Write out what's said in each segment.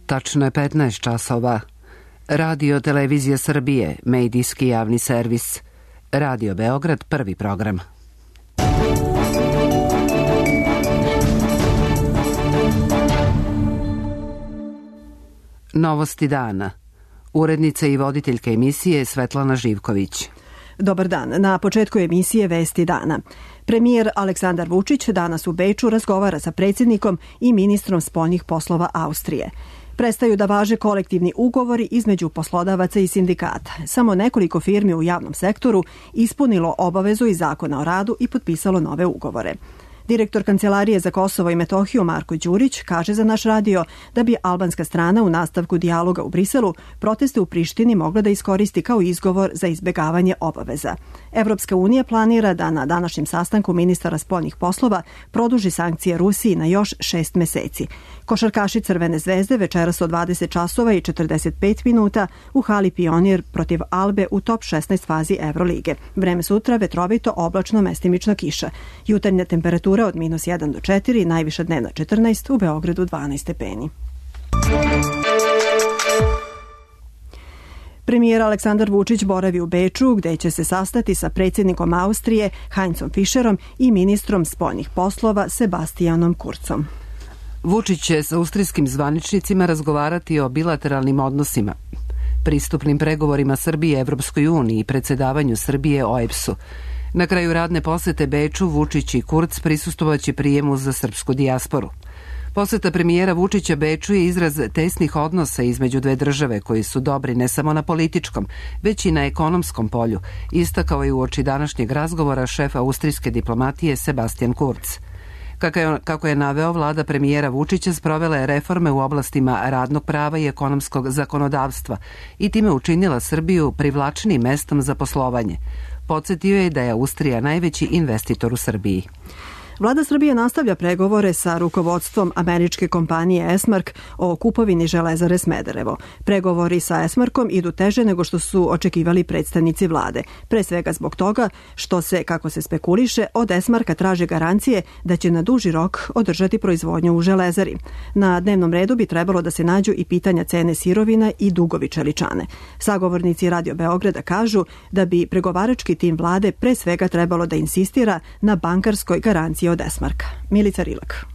Tačno je 15 časova. Radio Televizija Srbije, medijski javni servis. Radio Beograd, prvi program. Novosti dana. Urednica i voditeljka emisije Svetlana Živković. Dobar dan. Na početku emisije Vesti dana. Premijer Aleksandar Vučić danas u Beču razgovara sa predsjednikom i ministrom spoljnih poslova Austrije. Prestaju da važe kolektivni ugovori između poslodavaca i sindikata. Samo nekoliko firmi u javnom sektoru ispunilo obavezu iz Zakona o radu i potpisalo nove ugovore. Direktor Kancelarije za Kosovo i Metohiju Marko Đurić kaže za naš radio da bi albanska strana u nastavku dijaloga u Briselu proteste u Prištini mogla da iskoristi kao izgovor za izbjegavanje obaveza. Evropska unija planira da na današnjem sastanku ministara spoljnih poslova produži sankcije Rusiji na još 6 meseci. Košarkaši Crvene zvezde večeras od 20 časova i 45 minuta u hali Pionir protiv Albe u top 16 fazi Evrolige. Vreme sutra vetrovito, oblačno, mestimično kiša. Jutarnja temperatura od -1 do 4, najviša dnevna 14, u Beogradu 12 stepeni. Premijer Aleksandar Vučić boravi u Beču, gde će se sastati sa predsjednikom Austrije Heinzom Fischerom i ministrom spoljnih poslova Sebastianom Kurzom. Vučić će sa austrijskim zvaničnicima razgovarati o bilateralnim odnosima, pristupnim pregovorima Srbije Evropskoj uniji i predsjedavanju Srbije OEBS-u. Na kraju radne posete Beču, Vučić i Kurz prisustvovaće prijemu za srpsku dijasporu. Poseta premijera Vučića Beču je izraz tesnih odnosa između dve države koji su dobri ne samo na političkom, već i na ekonomskom polju, istakao je uoči današnjeg razgovora šef austrijske diplomatije Sebastian Kurz. Kako je naveo, vlada premijera Vučića sprovela je reforme u oblastima radnog prava i ekonomskog zakonodavstva i time učinila Srbiju privlačnijim mestom za poslovanje. Podsjetio je da je Austrija najveći investitor u Srbiji. Vlada Srbije nastavlja pregovore sa rukovodstvom američke kompanije Esmark o kupovini Železare Smederevo. Pregovori sa Esmarkom idu teže nego što su očekivali predstavnici vlade. Pre svega zbog toga što se, kako se spekuliše, od Esmarka traže garancije da će na duži rok održati proizvodnju u Železari. Na dnevnom redu bi trebalo da se nađu i pitanja cene sirovina i dugovi čeličane. Sagovornici Radio Beograda kažu da bi pregovarački tim vlade pre svega trebalo da insistira na bankarskoj garanciji od Esmarka. Milica Rilak.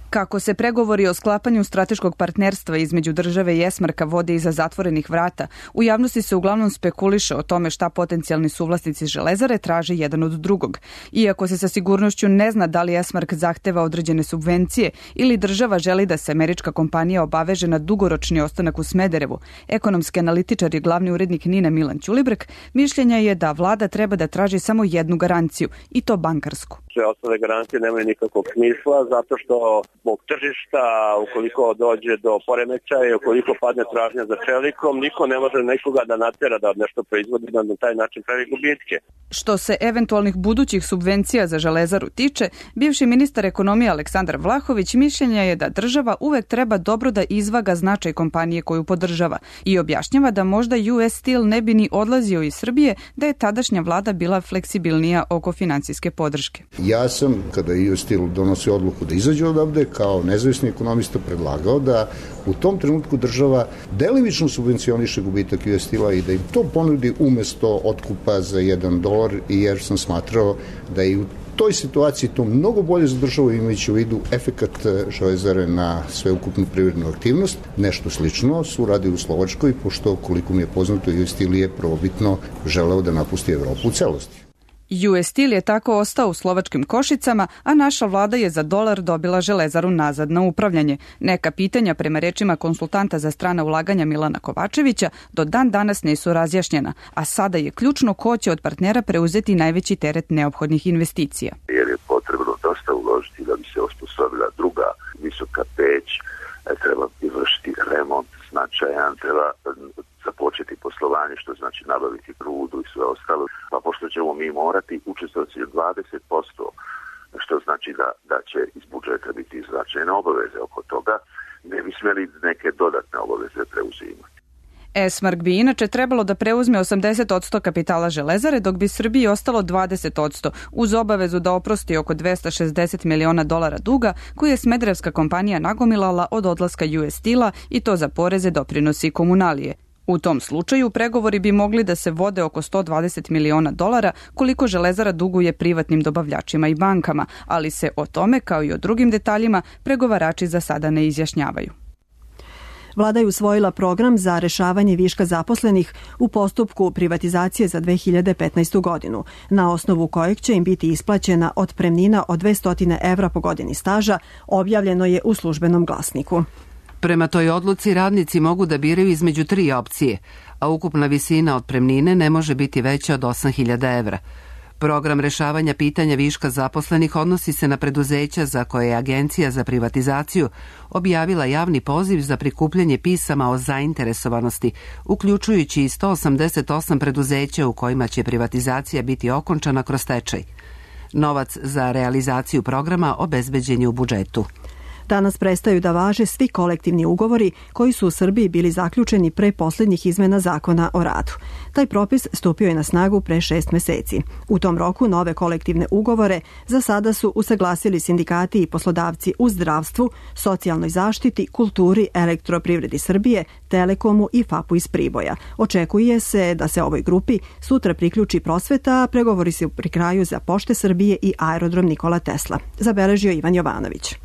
Kako se pregovori o sklapanju strateškog partnerstva između države i Esmarka vode iza zatvorenih vrata, u javnosti se uglavnom spekuliše o tome šta potencijalni suvlasnici Železare traže jedan od drugog. Iako se sa sigurnošću ne zna da li Esmark zahteva određene subvencije ili država želi da se američka kompanija obaveže na dugoročni ostanak u Smederevu, ekonomski analitičar i glavni urednik NIN-a Milan Ćulibrk mišljenja je da vlada treba da traži samo jednu garanciju, i to bankarsku. Sve ostale garancije nemaju nikakvog smisla zato što zbog tržišta, ukoliko dođe do poremećaja i ukoliko padne tražnja za čelikom, niko ne može nikoga da natera da nešto proizvodi da na taj način pravi gubitke. Što se eventualnih budućih subvencija za Železaru tiče, bivši ministar ekonomije Aleksandar Vlahović mišljenja je da država uvek treba dobro da izvaga značaj kompanije koju podržava i objašnjava da možda US Steel ne bi ni odlazio iz Srbije da je tadašnja vlada bila fleksibilnija oko finansijske podrške. Ja sam, kada je US Steel donosio odluku da izađe odavde, kao nezavisni ekonomista predlagao da u tom trenutku država delimično subvencioniše gubitak US Steela i da im to ponudi umesto otkupa za $1, jer sam smatrao da i u toj situaciji to mnogo bolje za državu, imajući u vidu efekat Železare na sveukupnu privrednu aktivnost. Nešto slično su radili u Slovačkoj, pošto, koliko mi je poznato, US Steel je prvobitno želeo da napusti Evropu u celosti. US Steel je tako ostao u slovačkim Košicama, a naša vlada je za $1 dobila Železaru nazad na upravljanje. Neka pitanja, prema rečima konsultanta za strana ulaganja Milana Kovačevića, do dan danas nisu razjašnjena, a sada je ključno ko će od partnera preuzeti najveći teret neophodnih investicija. Jer je potrebno dosta uložiti da bi se osposobila druga visoka peć, treba izvršiti remont značajan, treba započeti poslovanje, što znači nabaviti rudu i sve ostalo. Pa pošto ćemo mi morati učestvovati 20%, što znači da će iz budžeta biti značajne obaveze oko toga, ne bi smjeli neke dodatne obaveze preuzimati. Esmark bi inače trebalo da preuzme 80% kapitala Železare, dok bi Srbiji ostalo 20%, uz obavezu da oprosti oko $260 miliona duga koji je smederevska kompanija nagomilala od odlaska US Steel-a i to za poreze, doprinosi i komunalije. U tom slučaju pregovori bi mogli da se vode oko $120 miliona koliko Železara duguje privatnim dobavljačima i bankama, ali se o tome, kao i o drugim detaljima, pregovarači za sada ne izjašnjavaju. Vlada je usvojila program za rešavanje viška zaposlenih u postupku privatizacije za 2015. godinu, na osnovu kojeg će im biti isplaćena otpremnina od 200 evra po godini staža, objavljeno je u Službenom glasniku. Prema toj odluci radnici mogu da biraju između 3 opcije, a ukupna visina otpremnine ne može biti veća od 8.000 evra. Program rešavanja pitanja viška zaposlenih odnosi se na preduzeća za koje je Agencija za privatizaciju objavila javni poziv za prikupljanje pisama o zainteresovanosti, uključujući i 188 preduzeća u kojima će privatizacija biti okončana kroz stečaj. Novac za realizaciju programa obezbeđen je u budžetu. Danas prestaju da važe svi kolektivni ugovori koji su u Srbiji bili zaključeni pre posljednjih izmena zakona o radu. Taj propis stupio je na snagu pre 6 meseci. U tom roku nove kolektivne ugovore za sada su usaglasili sindikati i poslodavci u zdravstvu, socijalnoj zaštiti, kulturi, Elektroprivredi Srbije, Telekomu i FAP-u iz Priboja. Očekuje se da se ovoj grupi sutra priključi prosveta, a pregovori su pri kraju za Pošte Srbije i Aerodrom Nikola Tesla. Zabeležio Ivan Jovanović.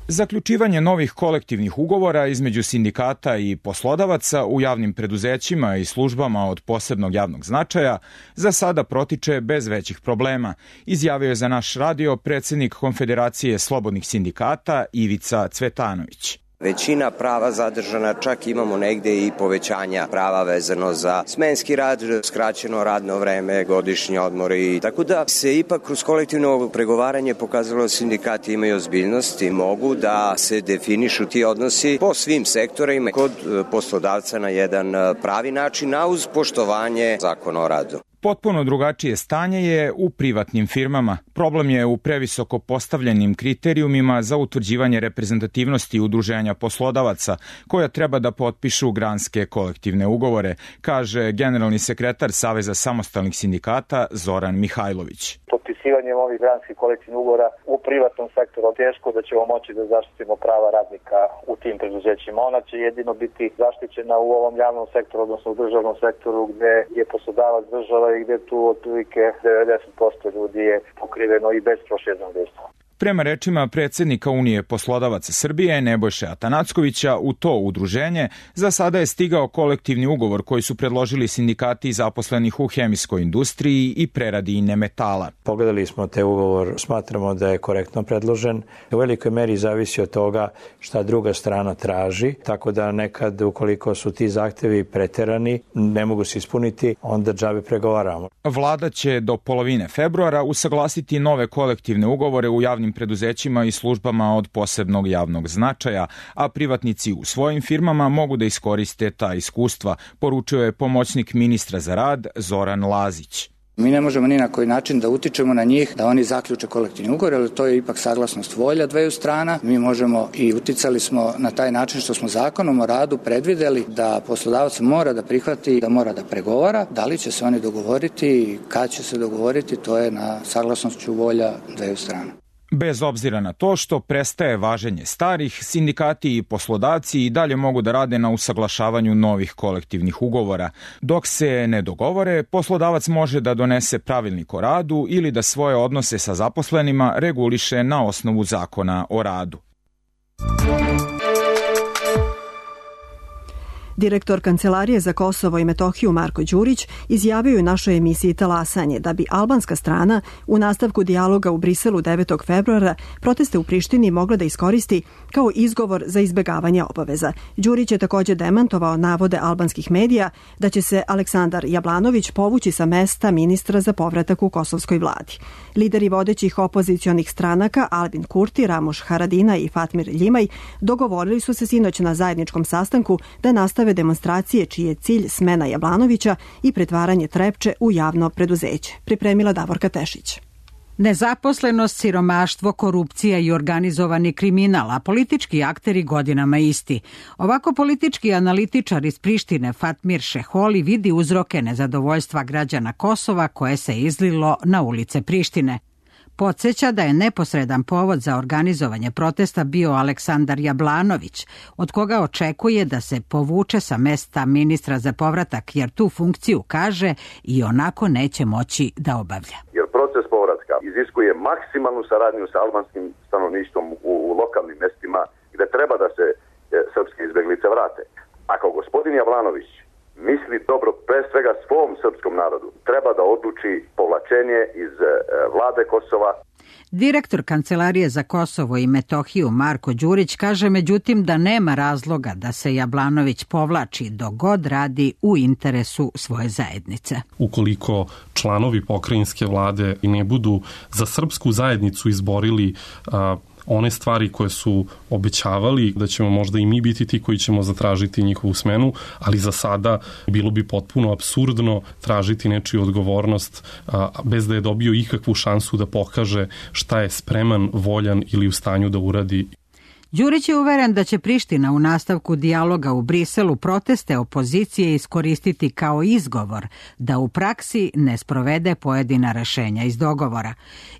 Zaključivanje novih kolektivnih ugovora između sindikata i poslodavaca u javnim preduzećima i službama od posebnog javnog značaja za sada protiče bez većih problema, izjavio je za naš radio predsjednik Konfederacije slobodnih sindikata Ivica Cvetanović. Većina prava zadržana, čak imamo negde i povećanja prava vezano za smenski rad, skraćeno radno vreme, godišnji odmori. Tako da se ipak kroz kolektivno pregovaranje pokazalo da sindikati imaju ozbiljnost i mogu da se definišu ti odnosi po svim sektorima kod poslodavca na jedan pravi način, a uz poštovanje zakona o radu. Potpuno drugačije stanje je u privatnim firmama. Problem je u previsoko postavljenim kriterijumima za utvrđivanje reprezentativnosti udruženja poslodavaca koja treba da potpišu granske kolektivne ugovore, kaže generalni sekretar Saveza samostalnih sindikata Zoran Mihajlović. Potpisivanjem ovih granskih kolektivnih ugovora u privatnom sektoru teško da ćemo moći da zaštitimo prava radnika u tim preduzećima. Ona će jedino biti zaštićena u ovom javnom sektoru, odnosno u državnom sektoru gde je poslodavac država i gde tu otprilike 90% ljudi je pokriveno i bez prosvjednog dejstva. Prema rečima predsjednika Unije poslodavaca Srbije Nebojše Atanackovića, u to udruženje za sada je stigao kolektivni ugovor koji su predložili sindikati zaposlenih u hemijskoj industriji i preradi metala. Pogledali smo te ugovor, smatramo da je korektno predložen. U velikoj meri zavisi od toga šta druga strana traži, tako da nekad ukoliko su ti zahtevi preterani, ne mogu se ispuniti, onda džabe pregovaramo. Vlada će do polovine februara usaglasiti nove kolektivne ugovore u javnim preduzećima i službama od posebnog javnog značaja, a privatnici u svojim firmama mogu da iskoriste ta iskustva, poručio je pomoćnik ministra za rad Zoran Lazić. Mi ne možemo ni na koji način da utičemo na njih da oni zaključe kolektivni ugovor, ali to je ipak saglasnost volja dveju strana. Mi možemo i uticali smo na taj način što smo zakonom o radu predvideli da poslodavac mora da prihvati, da mora da pregovara. Da li će se oni dogovoriti i kad će se dogovoriti, to je na saglasnošću volja dveju strana. Bez obzira na to što prestaje važenje starih, sindikati i poslodavci i dalje mogu da rade na usaglašavanju novih kolektivnih ugovora. Dok se ne dogovore, poslodavac može da donese pravilnik o radu ili da svoje odnose sa zaposlenima reguliše na osnovu zakona o radu. Direktor Kancelarije za Kosovo i Metohiju Marko Đurić izjavio u našoj emisiji Talasanje da bi albanska strana u nastavku dijaloga u Briselu 9. februara proteste u Prištini mogla da iskoristi kao izgovor za izbegavanje obaveza. Đurić je također demantovao navode albanskih medija da će se Aleksandar Jablanović povući sa mesta ministra za povratak u kosovskoj vladi. Lideri vodećih opozicionih stranaka Albin Kurti, Ramuš Haradina i Fatmir Ljimaj dogovorili su se sinoć na zajedničkom sastanku da nastave demonstracije čiji je cilj smena Jablanovića i pretvaranje Trepče u javno preduzeće. Pripremila Davorka Tešić. Nezaposlenost, siromaštvo, korupcija i organizovani kriminal, a politički akteri godinama isti. Ovako politički analitičar iz Prištine Fatmir Šeholi vidi uzroke nezadovoljstva građana Kosova koje se izlilo na ulice Prištine. Podsjeća da je neposredan povod za organizovanje protesta bio Aleksandar Jablanović, od koga očekuje da se povuče sa mesta ministra za povratak, jer tu funkciju, kaže, i onako neće moći da obavlja. Jer proces povratka iziskuje maksimalnu saradnju sa albanskim stanovništvom u lokalnim mestima gde treba da se srpske izbeglice vrate. Ako gospodin Jablanović misli dobro pre svega svom srpskom narodu, treba da odluči povlačenje iz vlade Kosova. Direktor Kancelarije za Kosovo i Metohiju Marko Đurić kaže međutim da nema razloga da se Jablanović povlači dok god radi u interesu svoje zajednice. Ukoliko članovi pokrajinske vlade ne budu za srpsku zajednicu izborili one stvari koje su obećavali, da ćemo možda i mi biti ti koji ćemo zatražiti njihovu smenu, ali za sada bilo bi potpuno apsurdno tražiti nečiju odgovornost bez da je dobio ikakvu šansu da pokaže šta je spreman, voljan ili u stanju da uradi. Đurić je uveren da će Priština u nastavku dijaloga u Briselu proteste opozicije iskoristiti kao izgovor da u praksi ne sprovede pojedina rešenja iz dogovora.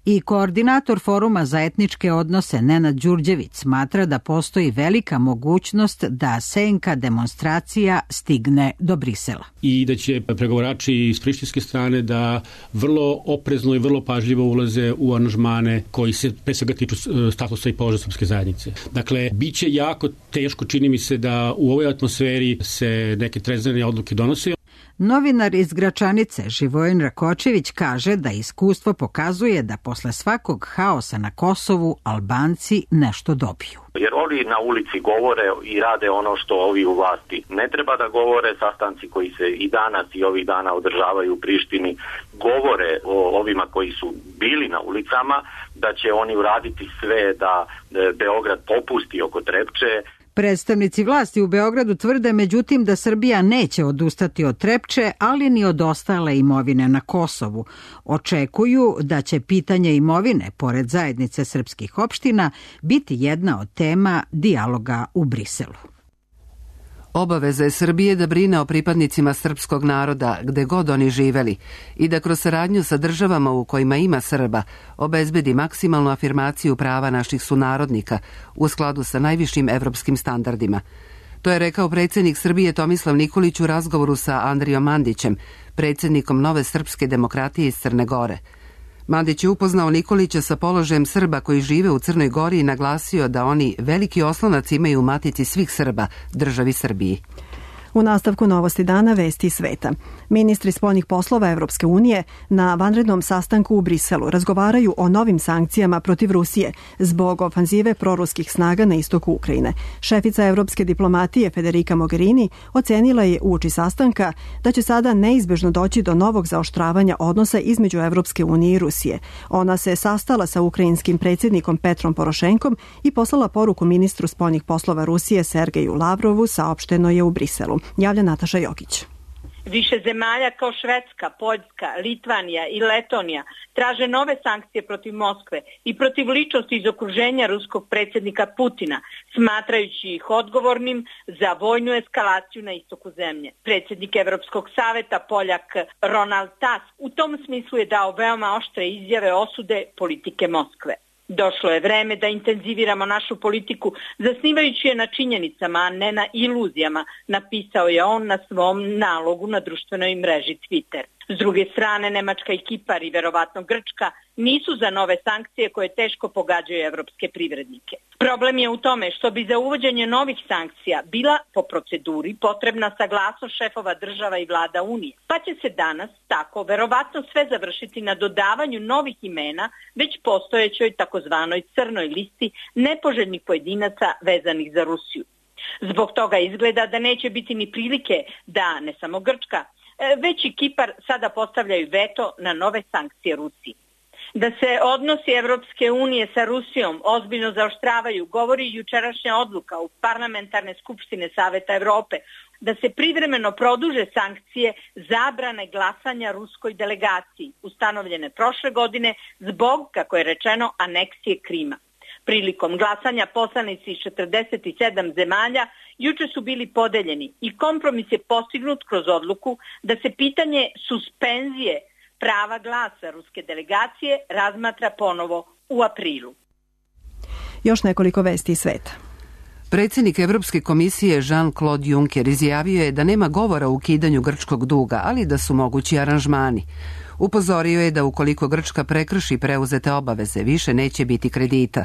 I koordinator Foruma za etničke odnose Nenad Đurđević smatra da postoji velika mogućnost da senka demonstracija stigne do Brisela. I da će pregovarači iz prištinske strane da vrlo oprezno i vrlo pažljivo ulaze u aranžmane koji se pre svega tiču statusa i položaja srpske zajednice. Dakle, bit će jako teško, čini mi se, da u ovoj atmosferi se neke trezvene odluke donose. Novinar iz Gračanice Živojin Rakočević kaže da iskustvo pokazuje da posle svakog haosa na Kosovu Albanci nešto dobiju. Jer oni na ulici govore i rade ono što ovi u vlasti ne treba da govore. Sastanci koji se i danas i ovih dana održavaju u Prištini govore o ovima koji su bili na ulicama, da će oni uraditi sve da Beograd popusti oko Trepče. Predstavnici vlasti u Beogradu tvrde međutim da Srbija neće odustati od Trepče, ali ni od ostale imovine na Kosovu. Očekuju da će pitanje imovine, pored zajednice srpskih opština, biti jedna od tema dijaloga u Briselu. Obaveza je Srbije da brine o pripadnicima srpskog naroda gde god oni živeli i da kroz saradnju sa državama u kojima ima Srba obezbedi maksimalnu afirmaciju prava naših sunarodnika u skladu sa najvišim evropskim standardima. To je rekao predsjednik Srbije Tomislav Nikolić u razgovoru sa Andrijom Mandićem, predsjednikom Nove srpske demokratije iz Crne Gore. Mandić je upoznao Nikolića sa položajem Srba koji žive u Crnoj Gori i naglasio da oni veliki oslonac imaju u matici svih Srba, državi Srbiji. U nastavku Novosti dana vesti sveta. Ministri spoljnih poslova Evropske unije na vanrednom sastanku u Briselu razgovaraju o novim sankcijama protiv Rusije zbog ofanzive proruskih snaga na istoku Ukrajine. Šefica evropske diplomatije Federica Mogherini ocenila je uoči sastanka da će sada neizbežno doći do novog zaoštravanja odnosa između Evropske unije i Rusije. Ona se sastala sa ukrajinskim predsjednikom Petrom Porošenkom i poslala poruku ministru spoljnih poslova Rusije Sergeju Lavrovu, saopšteno je u Briselu. Javlja Nataša Jokić. Više zemalja kao Švedska, Poljska, Litvanija i Letonija traže nove sankcije protiv Moskve i protiv ličnosti iz okruženja ruskog predsjednika Putina, smatrajući ih odgovornim za vojnu eskalaciju na istoku zemlje. Predsjednik Evropskog saveta, Poljak Ronald Tusk, u tom smislu je dao veoma oštre izjave osude politike Moskve. Došlo je vreme da intenziviramo našu politiku, zasnivajući je na činjenicama, a ne na iluzijama, napisao je on na svom nalogu na društvenoj mreži Twitter. S druge strane, Nemačka i Kipar i verovatno Grčka nisu za nove sankcije koje teško pogađaju evropske privrednike. Problem je u tome što bi za uvođenje novih sankcija bila po proceduri potrebna saglasnost šefova država i vlada Unije, pa će se danas tako verovatno sve završiti na dodavanju novih imena već postojećoj takozvanoj crnoj listi nepoželjnih pojedinaca vezanih za Rusiju. Zbog toga izgleda da neće biti ni prilike da ne samo Grčka, već i Kipar sada postavljaju veto na nove sankcije Rusiji. Da se odnosi Evropske unije sa Rusijom ozbiljno zaoštravaju govori jučerašnja odluka u parlamentarne skupštine Saveta Evrope da se privremeno produže sankcije zabrane glasanja ruskoj delegaciji, ustanovljene prošle godine zbog, kako je rečeno, aneksije Krima. Prilikom glasanja poslanici iz 47 zemalja juče su bili podeljeni i kompromis je postignut kroz odluku da se pitanje suspenzije prava glasa ruske delegacije razmatra ponovo u aprilu. Još nekoliko vesti iz sveta. Predsjednik Evropske komisije Jean-Claude Juncker izjavio je da nema govora o ukidanju grčkog duga, ali da su mogući aranžmani. Upozorio je da ukoliko Grčka prekrši preuzete obaveze, više neće biti kredita.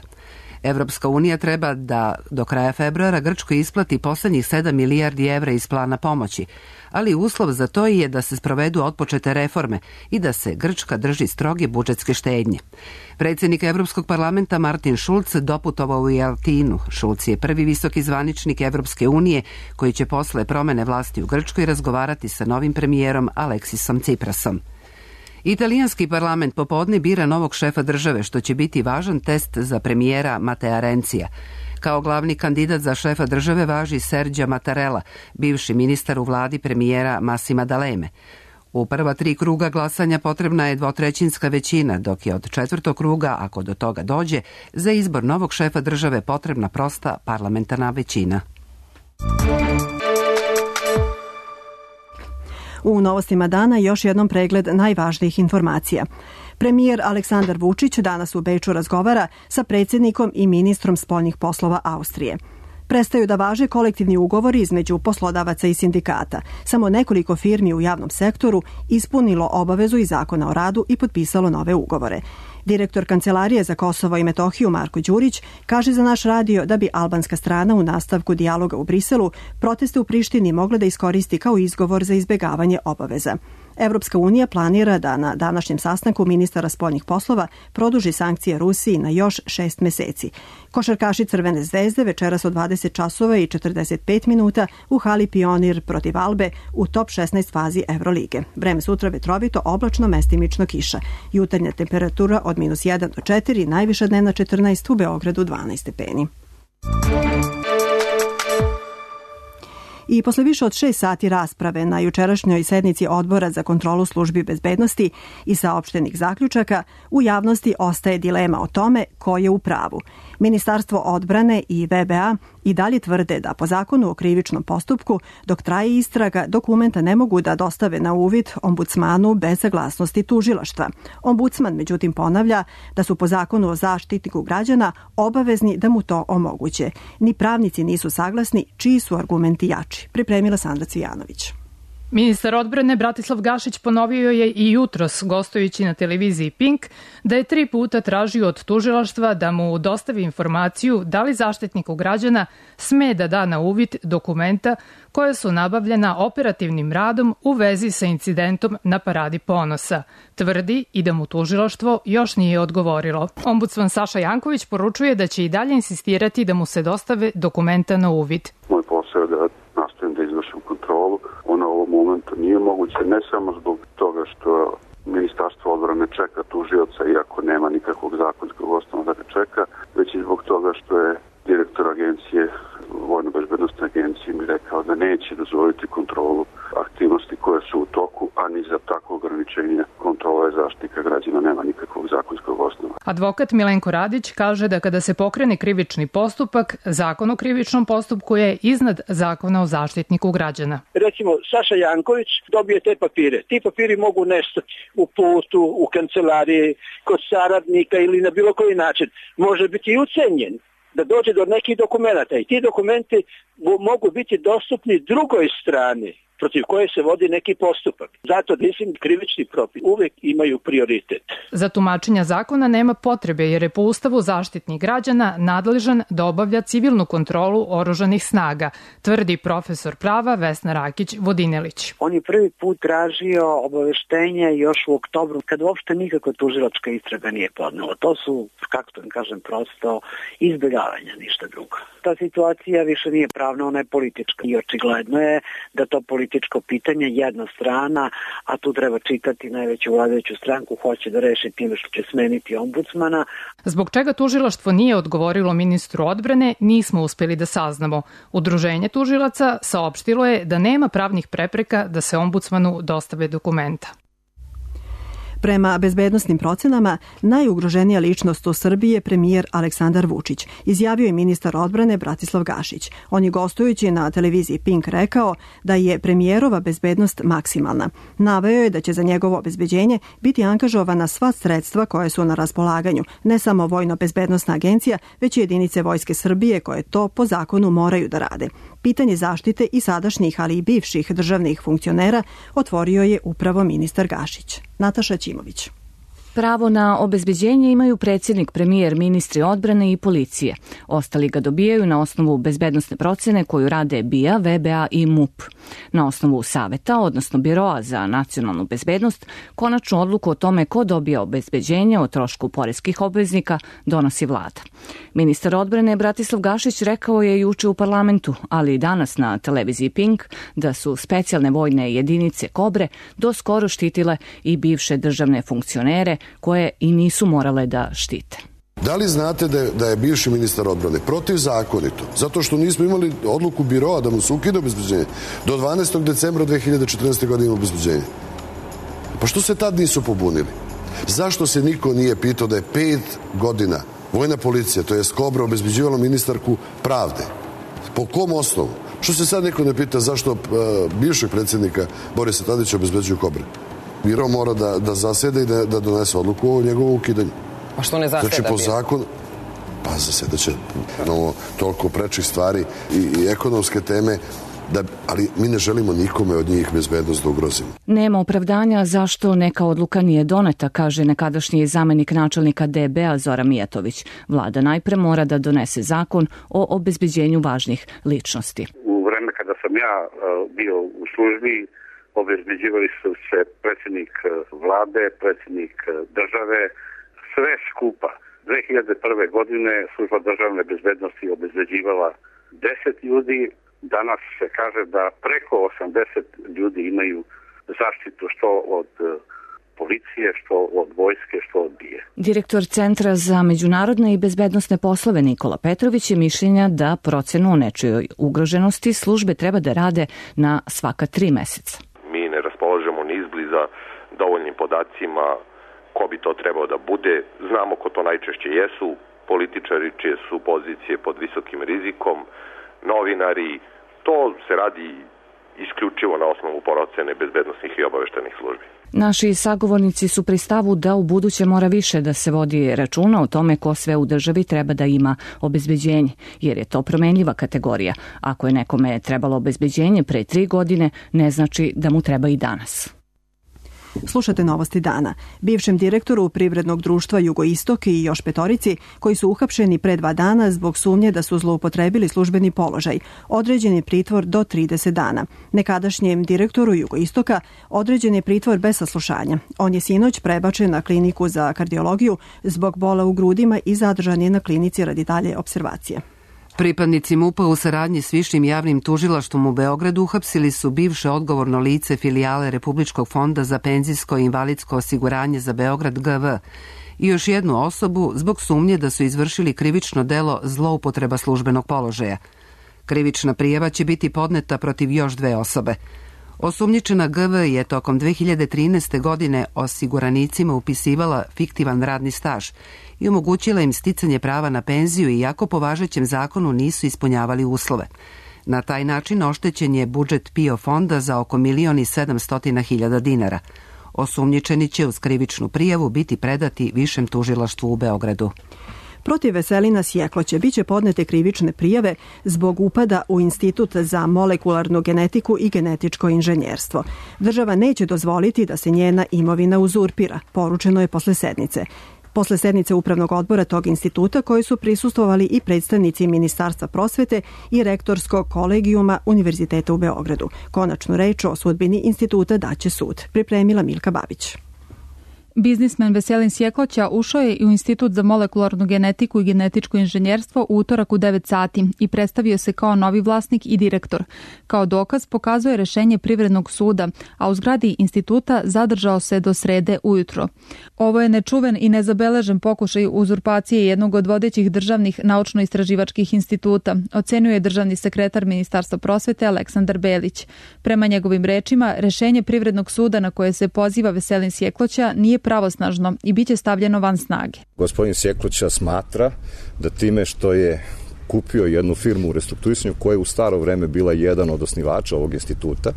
Evropska unija treba da do kraja februara Grčkoj isplati poslednjih 7 milijardi evra iz plana pomoći, ali uslov za to je da se sprovedu otpočete reforme i da se Grčka drži stroge budžetske štednje. Predsjednik Evropskog parlamenta Martin Schulz doputovao u Atinu. Schulz je prvi visoki zvaničnik Evropske unije koji će posle promene vlasti u Grčkoj razgovarati sa novim premijerom Aleksisom Tsiprasom. Italijanski parlament popodne bira novog šefa države, što će biti važan test za premijera Matea Renzija. Kao glavni kandidat za šefa države važi Sergio Mattarella, bivši ministar u vladi premijera Massima D'Aleme. U prva 3 kruga glasanja potrebna je 2/3 većina, dok je od 4. kruga, ako do toga dođe, za izbor novog šefa države potrebna prosta parlamentarna većina. U novostima dana još jednom pregled najvažnijih informacija. Premijer Aleksandar Vučić danas u Beču razgovara sa predsjednikom i ministrom spoljnih poslova Austrije. Prestaju da važe kolektivni ugovori između poslodavaca i sindikata. Samo nekoliko firmi u javnom sektoru ispunilo obavezu iz Zakona o radu i potpisalo nove ugovore. Direktor Kancelarije za Kosovo i Metohiju Marko Đurić kaže za naš radio da bi albanska strana u nastavku dijaloga u Briselu proteste u Prištini mogla da iskoristi kao izgovor za izbjegavanje obaveza. Evropska unija planira da na današnjem sastanku ministara spoljnih poslova produži sankcije Rusiji na još 6 meseci. Košarkaši Crvene zvezde večeras od 20 časova i 45 minuta u hali Pionir protiv Albe u top 16 fazi Evrolige. Vreme sutra vetrovito, oblačno, mestimično kiša. Jutarnja temperatura od -1 do 4, najviša dnevna 14, u Beogradu 12 stepeni. I posle više od 6 sati rasprave na jučerašnjoj sednici Odbora za kontrolu službi bezbednosti i saopštenih zaključaka, u javnosti ostaje dilema o tome ko je u pravu. Ministarstvo odbrane i VBA i dalje tvrde da po zakonu o krivičnom postupku, dok traje istraga, dokumenta ne mogu da dostave na uvid ombudsmanu bez saglasnosti tužilaštva. Ombudsman međutim ponavlja da su po zakonu o zaštitniku građana obavezni da mu to omoguće. Ni pravnici nisu saglasni čiji su argumenti jači. Pripremila Sandra Cvijanović. Ministar odbrane Bratislav Gašić ponovio je i jutros, gostujući na televiziji Pink, da je 3 puta tražio od tužilaštva da mu dostavi informaciju da li zaštitniku građana sme da da na uvid dokumenta koje su nabavljena operativnim radom u vezi sa incidentom na Paradi ponosa. Tvrdi i da mu tužilaštvo još nije odgovorilo. Ombudsman Saša Janković poručuje da će i dalje insistirati da mu se dostave dokumenta na uvid. Moj posao je da nastavim da izvršim kontrolu. Ona u ovom momentu nije moguće, ne samo zbog toga što Ministarstvo odbrane čeka tužioca, iako nema nikakvog zakonskog osnova da ga čeka, već i zbog toga što je direktor agencije, Vojno-bezbednostne agencije, mi rekao da neće dozvoliti kontrolu aktivnosti koje su u toku, a ni za takvo ograničenje kontrole zaštitnika građana nema nikakvog zakonskog osnova. Advokat Milenko Radić kaže da kada se pokrene krivični postupak, Zakon o krivičnom postupku je iznad Zakona o zaštitniku građana. Recimo, Saša Janković dobije te papire. Ti papiri mogu nestati u putu, u kancelariji, kod saradnika ili na bilo koji način. Može biti i ucenjen da dođe do nekih dokumenata i ti dokumenti mogu biti dostupni drugoj strani protiv koje se vodi neki postupak. Zato mislim krivični propisi uvek imaju prioritet. Za tumačenja zakona nema potrebe jer je po Ustavu zaštitnik građana nadležan da obavlja civilnu kontrolu oružanih snaga, tvrdi profesor prava Vesna Rakić-Vodinelić. On je prvi put tražio obaveštenje još u oktobru, kad uopšte nikakva tužilačka istraga nije podnela. To su, kako to kažem, prosto izbjegavanja, ništa drugo. Ta situacija više nije pravna, ona je politička i očigledno je da to politička političko pitanje, jedna strana, a tu treba čitati najveću vladajuću stranku, hoće da reši time što će smeniti ombudsmana. Zbog čega tužilaštvo nije odgovorilo ministru odbrane, nismo uspeli da saznamo. Udruženje tužilaca saopštilo je da nema pravnih prepreka da se ombudsmanu dostave dokumenta. Prema bezbednosnim procenama, najugroženija ličnost u Srbiji je premijer Aleksandar Vučić, izjavio je ministar odbrane Bratislav Gašić. On je gostujući na televiziji Pink rekao da je premijerova bezbednost maksimalna. Naveo je da će za njegovo obezbeđenje biti angažovana sva sredstva koje su na raspolaganju, ne samo Vojno-bezbednosna agencija, već i jedinice Vojske Srbije koje to po zakonu moraju da rade. Pitanje zaštite i sadašnjih, ali i bivših državnih funkcionera otvorio je upravo ministar Gašić. Nataša Ćimović. Pravo na obezbeđenje imaju predsjednik, premijer, ministri odbrane i policije. Ostali ga dobijaju na osnovu bezbednosne procene koju rade BIA, VBA i MUP. Na osnovu saveta, odnosno Biroa za nacionalnu bezbednost, konačnu odluku o tome ko dobija obezbeđenje o trošku poreskih obveznika donosi vlada. Ministar odbrane Bratislav Gašić rekao je juče u parlamentu, ali i danas na televiziji Pink, da su specijalne vojne jedinice Kobre do skoro štitile i bivše državne funkcionere koje i nisu morale da štite. Da li znate da je bivši ministar odbrane protivzakonito, zato što nismo imali odluku Biroa da mu se ukida obezbeđenje, do 12. decembra 2014. godine ima obezbeđenje? Pa što se tad nisu pobunili? Zašto se niko nije pitao da je 5 godina vojna policija, to jest Kobra, obezbeđivala ministarku pravde? Po kom osnovu? Što se sad neko ne pita zašto bivšeg predsjednika Borisa Tadića obezbeđuju Kobre? Biro mora da zasede i da donese odluku o njegovom ukidanju. A što ne zaseda? Znači, po zakonu, pa zasedaće toliko prečih stvari i ekonomske teme, ali mi ne želimo nikome od njih bezbednost da ugrozimo. Nema opravdanja zašto neka odluka nije doneta, kaže nekadašnji zamenik načelnika DB-a Zoran Mijatović. Vlada najpre mora da donese zakon o obezbeđenju važnih ličnosti. U vreme kada sam ja bio u službi, obezbeđivali su se predsjednik vlade, predsjednik države, sve skupa. 2001. godine služba državne bezbednosti obezbeđivala 10 ljudi, danas se kaže da preko 80 ljudi imaju zaštitu što od policije, što od vojske, što od BIA. Direktor Centra za međunarodne i bezbednosne poslove Nikola Petrović je mišljenja da procenu o nečijoj ugroženosti službe treba da rade na svaka 3 meseca. Mi ne raspolažemo ni izbliza dovoljnim podacima ko bi to trebao da bude. Znamo ko to najčešće jesu, političari čije su pozicije pod visokim rizikom, novinari. To se radi isključivo na osnovu procene bezbednosnih i obaveštajnih službi. Naši sagovornici su pri stavu da u buduće mora više da se vodi računa o tome ko sve u državi treba da ima obezbeđenje, jer je to promenljiva kategorija. Ako je nekome trebalo obezbeđenje pre 3 godine, ne znači da mu treba i danas. Slušate novosti dana. Bivšem direktoru Privrednog društva Jugoistok i još 5 koji su uhapšeni pre 2 dana zbog sumnje da su zloupotrebili službeni položaj, određen je pritvor do 30 dana. Nekadašnjem direktoru Jugoistoka određen je pritvor bez saslušanja. On je sinoć prebačen na kliniku za kardiologiju zbog bola u grudima i zadržan je na klinici radi dalje observacije. Pripadnici MUP-a u saradnji s Višim javnim tužilaštvom u Beogradu uhapsili su bivše odgovorno lice filijale Republičkog fonda za penzijsko i invalidsko osiguranje za Beograd GV i još jednu osobu zbog sumnje da su izvršili krivično delo zloupotreba službenog položaja. Krivična prijava će biti podneta protiv još 2 osobe. Osumnjičena GV je tokom 2013. godine osiguranicima upisivala fiktivan radni staž i omogućila im sticanje prava na penziju iako po važećem zakonu nisu ispunjavali uslove. Na taj način oštećen je budžet PIO fonda za oko 1.700.000 dinara. Osumnjičeni će uz krivičnu prijavu biti predati Višem tužilaštvu u Beogradu. Protiv Veselina Sjekloće biće podnete krivične prijave zbog upada u Institut za molekularnu genetiku i genetičko inženjerstvo. Država neće dozvoliti da se njena imovina uzurpira, poručeno je posle sednice. Posle sednice Upravnog odbora tog instituta koji su prisustvovali i predstavnici Ministarstva prosvete i rektorskog kolegijuma Univerziteta u Beogradu. Konačnu reč o sudbini instituta daće sud. Pripremila Milka Babić. Biznismen Veselin Sjekloća ušao je u Institut za molekularnu genetiku i genetičko inženjerstvo u utorak u 9 sati i predstavio se kao novi vlasnik i direktor. Kao dokaz pokazuje rešenje Privrednog suda, a u zgradi instituta zadržao se do srede ujutro. Ovo je nečuven i nezabeležen pokušaj uzurpacije jednog od vodećih državnih naučno-istraživačkih instituta, ocenjuje državni sekretar Ministarstva prosvete Aleksandar Belić. Prema njegovim rečima, rešenje Privrednog suda na koje se poziva Veselin Sjekloća nije pravosnažno i biće stavljeno van snage. Gospodin Sjekloća smatra da time što je kupio jednu firmu u restrukturisanju koja je u staro vreme bila jedan od osnivača ovog instituta,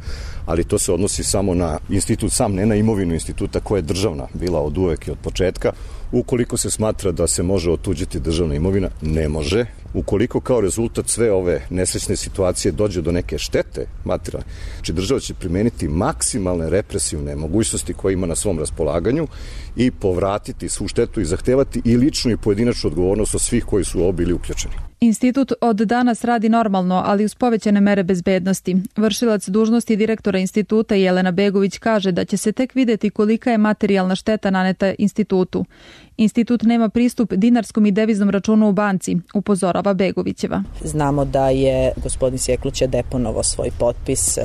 ali to se odnosi samo na institut sam, ne na imovinu instituta koja je državna bila od uvek i od početka. Ukoliko se smatra da se može otuđiti državna imovina, ne može. Ukoliko kao rezultat sve ove nesrećne situacije dođe do neke štete materijalne, znači država će primeniti maksimalne represivne mogućnosti koje ima na svom raspolaganju i povratiti svu štetu i zahtevati i ličnu i pojedinačnu odgovornost od svih koji su u ovo bili uključeni. Institut od danas radi normalno, ali uz povećane mere bezbednosti. Vršilac dužnosti direktora instituta Jelena Begović kaže da će se tek videti kolika je materijalna šteta naneta institutu. Institut nema pristup dinarskom i deviznom računu u banci, upozorava Begovićeva. Znamo da je gospodin Sjekloća deponovao svoj potpis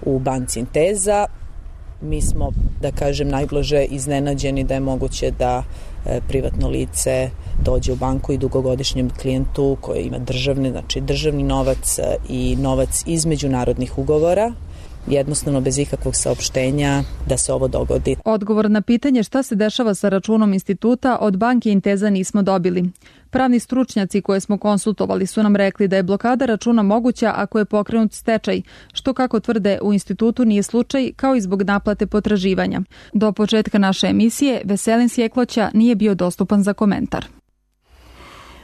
u banci Inteza. Mi smo, da kažem, najblaže iznenađeni da je moguće da privatno lice dođe u banku i dugogodišnjem klijentu koji ima državni novac i novac iz međunarodnih ugovora, jednostavno bez ikakvog saopštenja da se ovo dogodi. Odgovor na pitanje šta se dešava sa računom instituta od banke Inteza nismo dobili. Pravni stručnjaci koje smo konsultovali su nam rekli da je blokada računa moguća ako je pokrenut stečaj, što kako tvrde u institutu nije slučaj, kao i zbog naplate potraživanja. Do početka naše emisije Veselin Sjekloća nije bio dostupan za komentar.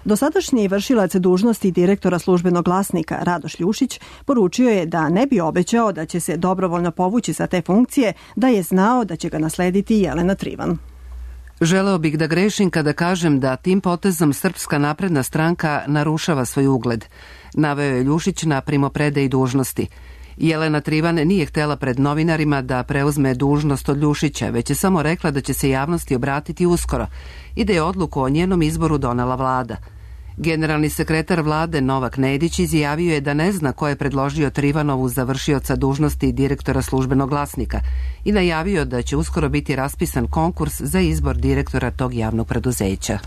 Dosadašnji vršilac dužnosti direktora Službenog glasnika Radoš Ljušić poručio je da ne bi obećao da će se dobrovoljno povući sa te funkcije da je znao da će ga naslediti Jelena Trivan. Želeo bih da grešim kada kažem da tim potezom Srpska napredna stranka narušava svoj ugled. Naveo je Ljušić na primopredaji dužnosti. Jelena Trivan nije htela pred novinarima da preuzme dužnost od Ljušića, već je samo rekla da će se javnosti obratiti uskoro i da je odluku o njenom izboru donela vlada. Generalni sekretar vlade Novak Nedić izjavio je da ne zna ko je predložio Trivanovu za vršioca dužnosti direktora Službenog glasnika i najavio da će uskoro biti raspisan konkurs za izbor direktora tog javnog preduzeća.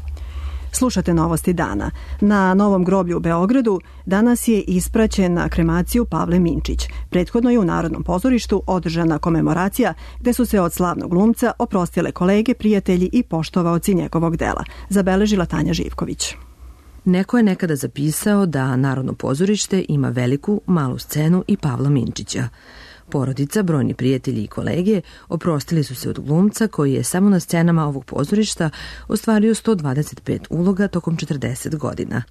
Slušate novosti dana. Na Novom groblju u Beogradu danas je ispraćen na kremaciju Pavle Minčić. Prethodno je u Narodnom pozorištu održana komemoracija gde su se od slavnog glumca oprostile kolege, prijatelji i poštovaoci njegovog dela, zabeležila Tanja Živković. Neko je nekada zapisao da Narodno pozorište ima veliku, malu scenu i Pavla Minčića. Porodica, brojni prijatelji i kolege oprostili su se od glumca koji je samo na scenama ovog pozorišta ostvario 125 uloga tokom 40 godina.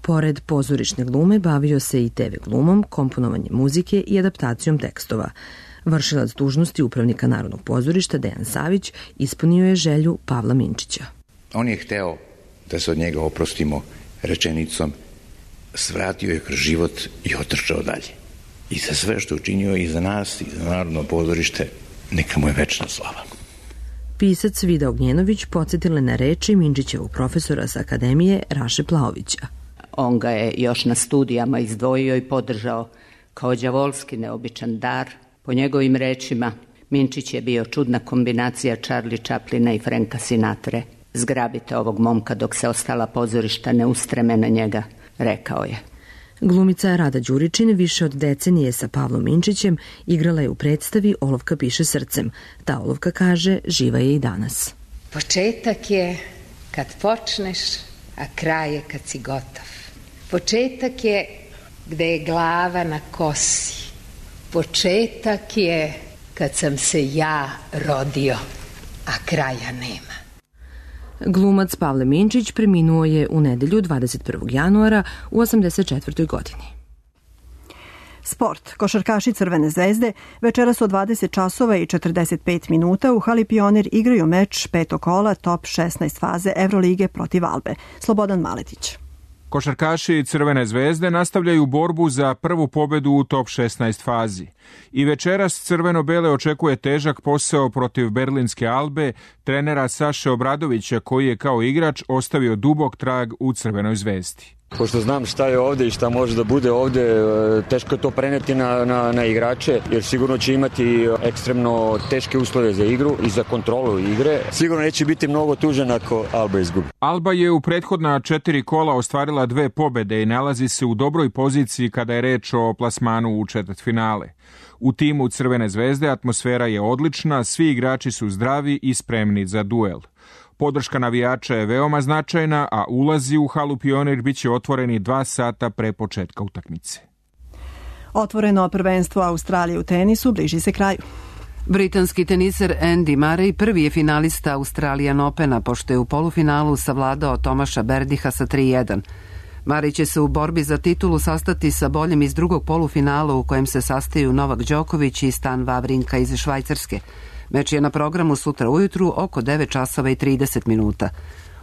Pored pozorišne glume bavio se i TV glumom, komponovanjem muzike i adaptacijom tekstova. Vršilac dužnosti upravnika Narodnog pozorišta Dejan Savić ispunio je želju Pavla Minčića. On je hteo da se od njega oprostimo rečenicom svratio je kroz život i otrčao dalje. I za sve što je učinio i za nas i za Narodno pozorište, neka mu je večna slava. Pisac Vida Ognjenović podsjetila na reči Minčićevog profesora sa Akademije Raše Plaovića. On ga je još na studijama izdvojio i podržao kao đavolski neobičan dar. Po njegovim rečima, Minčić je bio čudna kombinacija Charlie Chaplina i Franka Sinatre. Zgrabite ovog momka dok se ostala pozorišta ne ustreme na njega, rekao je. Glumica Rada Đuričin više od decenije sa Pavlom Minčićem igrala je u predstavi Olovka piše srcem. Ta olovka, kaže, živa je i danas. Početak je kad počneš, a kraj je kad si gotov. Početak je gde je glava na kosi. Početak je kad sam se ja rodio, a kraja nema. Glumac Pavle Minčić preminuo je u nedelju 21. januara u 84. godini. Sport. Košarkaši Crvene zvezde večeras od 20 časova i 45 minuta u hali Pionir igraju meč petog kola top 16 faze Evrolige protiv Albe. Slobodan Maletić. Košarkaši Crvene zvezde nastavljaju borbu za prvu pobedu u top 16 fazi. I večeras crveno-bele očekuje težak posao protiv berlinske Albe, trenera Saše Obradovića, koji je kao igrač ostavio dubok trag u Crvenoj zvezdi. Pošto znam šta je ovde i šta može da bude ovde, teško je to preneti na igrače, jer sigurno će imati ekstremno teške uslove za igru i za kontrolu igre. Sigurno neće biti mnogo tužan ako Alba izgubi. Alba je u prethodna 4 kola ostvarila 2 pobede i nalazi se u dobroj poziciji kada je reč o plasmanu u četvrtfinale. U timu Crvene zvezde atmosfera je odlična, svi igrači su zdravi i spremni za duel. Podrška navijača je veoma značajna, a ulazi u halu Pionir biće otvoreni 2 sata pre početka utakmice. Otvoreno prvenstvo Australije u tenisu bliži se kraju. Britanski teniser Andy Murray prvi je finalista Australian Opena, pošto je u polufinalu savladao Tomaša Berdiha sa 3-1. Murray će se u borbi za titulu sastati sa boljim iz drugog polufinala u kojem se sastaju Novak Đoković i Stan Wawrinka iz Švajcarske. Meč je na programu sutra ujutru oko 9 časova i 30 minuta.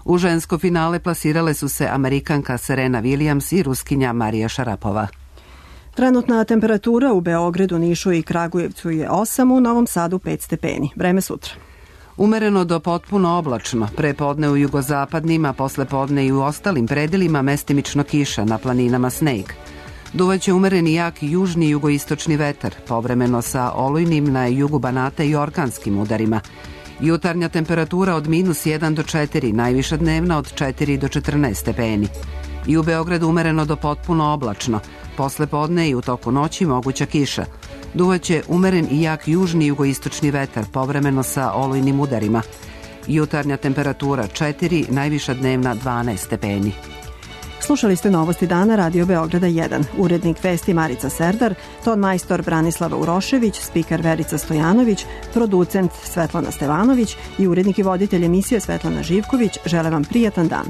U žensko finale plasirale su se Amerikanka Serena Williams i Ruskinja Marija Šarapova. Trenutna temperatura u Beogradu, Nišu i Kragujevcu je 8, u Novom Sadu 5 stepeni. Vreme sutra. Umereno do potpuno oblačno, pre podne u jugozapadnim, a posle podne i u ostalim predelima mestimično kiša, na planinama sneg. Duvaće umereni jak južni i jugoistočni vetar, povremeno sa olujnim na jugu Banata i orkanskim udarima. Jutarnja temperatura od -1 do 4, najviša dnevna od 4 do 14 stepeni. I u Beogradu umereno do potpuno oblačno, posle podne i u toku noći moguća kiša. Duvaće umeren i jak južni i jugoistočni vetar, povremeno sa olujnim udarima. Jutarnja temperatura 4, najviša dnevna 12 stepeni. Slušali ste Novosti dana Radio Beograda 1. Urednik vesti Marica Serdar, ton majstor Branislava Urošević, spiker Verica Stojanović, producent Svetlana Stevanović i urednik i voditelj emisije Svetlana Živković žele vam prijatan dan.